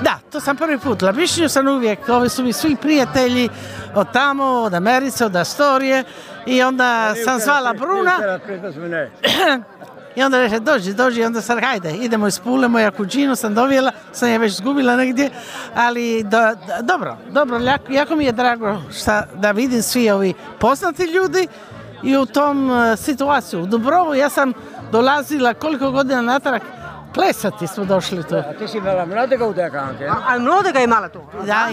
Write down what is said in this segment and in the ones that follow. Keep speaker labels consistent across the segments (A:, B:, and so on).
A: Da, to sam prvi put. Labišnju sam uvijek, ovi su mi svi prijatelji od tamo, od Americe, od Astorije i onda sam zvala Bruna i onda reče dođi, onda sam hajde, idemo iz Pule, moja kućinu sam dovijela, sam je već zgubila negdje, ali dobro, jako mi je drago da vidim svi ovi poznati ljudi i u tom situaciju. U Dubrovu ja sam dolazila koliko godina natrag, plesati smo došli tu.
B: A ti si imala mladega udeka anche?
C: A mladega je imala tu?
A: Da,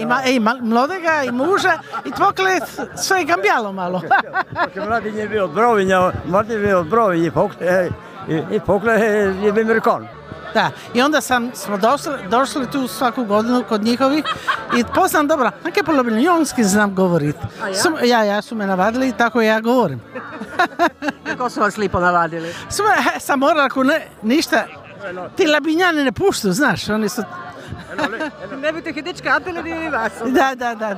A: mladega i muža i tvokle sve je cambialo malo.
B: Perché mladi je bio od Brovinja, mladi je bio od Brovinja i pokle je bio Amerikan.
A: Da, i onda smo došli tu svaku godinu kod njihovih i poznam dobro, anche po Ljubljanski znam govoriti. Ja su me navadili i tako ja govorim.
C: Kako su vas lipo navadili?
A: Sam morala ako ništa, ti Labinjani ne puštu, znaš, oni su...
C: Ne bi te hidička apeli ni vas.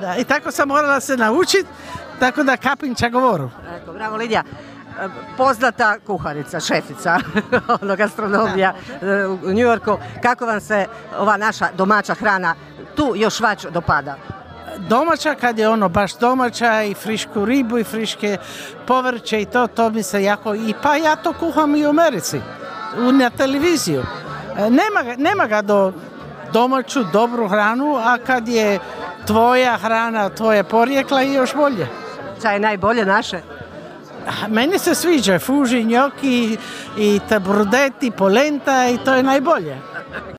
A: Da, i tako sam morala se naučiti, tako da kapinča govoru.
C: Eko, bravo Lidija. Poznata kuharica, šefica gastronomija u New Yorku. Kako vam se ova naša domaća hrana tu još već dopada?
A: Domaća, kad je ono baš domaća i frišku ribu i friške povrće i to mi se jako... Pa ja to kuham i u Americi, na televiziju. Nema ga do domaću, dobru hranu, a kad je tvoja hrana, tvoje porijekla i još bolje.
C: Šta je najbolje naše?
A: Meni se sviđa fuži, njoki i tabrudeti, polenta i to je najbolje.